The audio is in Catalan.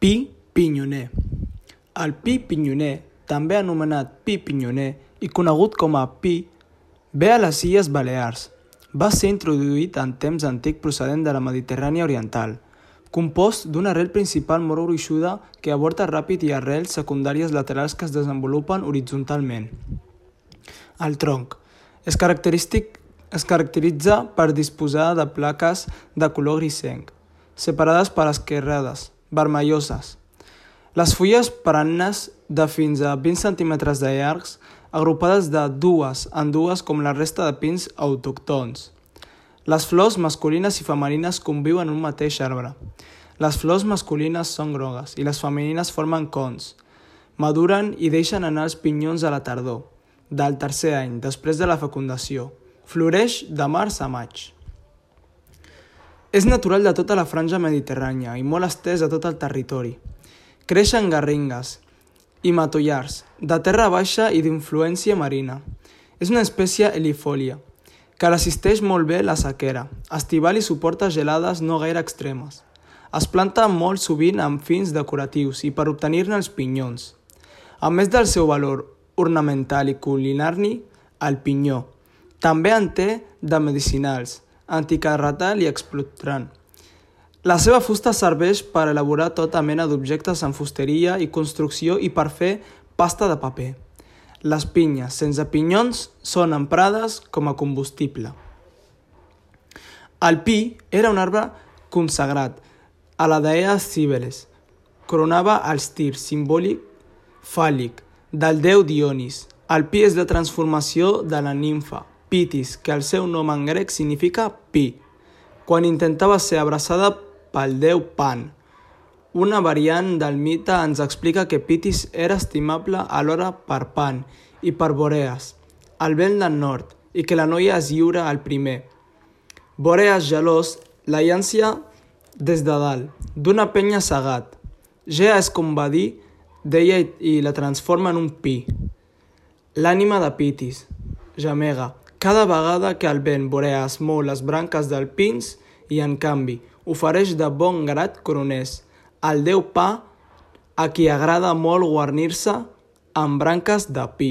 Pi pinyoner. El pi pinyoner, també anomenat pi pinyoner i conegut com a pi, ve a les Illes Balears. Va ser introduït en temps antic procedent de la Mediterrània oriental, compost d'una arrel principal molt gruixuda que avorta ràpid i arrels secundàries laterals que es desenvolupen horitzontalment. El tronc es caracteritza per disposar de plaques de color grisenc, separades per esquerrades, vermelloses. Les fulles perennes de fins a 20 cm de llargs, agrupades de dues en dues com la resta de pins autòctons. Les flors masculines i femenines conviuen en un mateix arbre. Les flors masculines són grogues i les femenines formen cons. Maduren i deixen anar els pinyons a la tardor, del tercer any, després de la fecundació. Floreix de març a maig. És natural de tota la franja mediterrània i molt estès a tot el territori. Creix en garrigues i matollars, de terra baixa i d'influència marina. És una espècie helifòlia, que resisteix molt bé la sequera, estival i suporta gelades no gaire extremes. Es planta molt sovint amb fins decoratius i per obtenir-ne els pinyons. A més del seu valor ornamental i culinari, el pinyó també en té de medicinals, anticarretal i expectorant. La seva fusta serveix per elaborar tota mena d'objectes en fusteria i construcció i per fer pasta de paper. Les pinyes sense pinyons són emprades com a combustible. El pi era un arbre consagrat a la deessa Cíbeles. Coronava els tirs simbòlic fàl·lic del déu Dionís. El pi és la transformació de la nimfa Pitis, que el seu nom en grec significa pi, quan intentava ser abraçada pel déu Pan. Una variant del mite ens explica que Pitis era estimable alhora per Pan i per Boreas, el vent del nord, i que la noia es lliura al primer. Boreas, gelós, la llança des de dalt, d'una penya segat. Gea és com va dir d'ella i la transforma en un pi. L'ànima de Pitis, gemega, cada vegada que el vent Boreas mou les branques del pins i, en canvi, ofereix de bon grat coroners al déu Pa, a qui agrada molt guarnir-se amb branques de pi.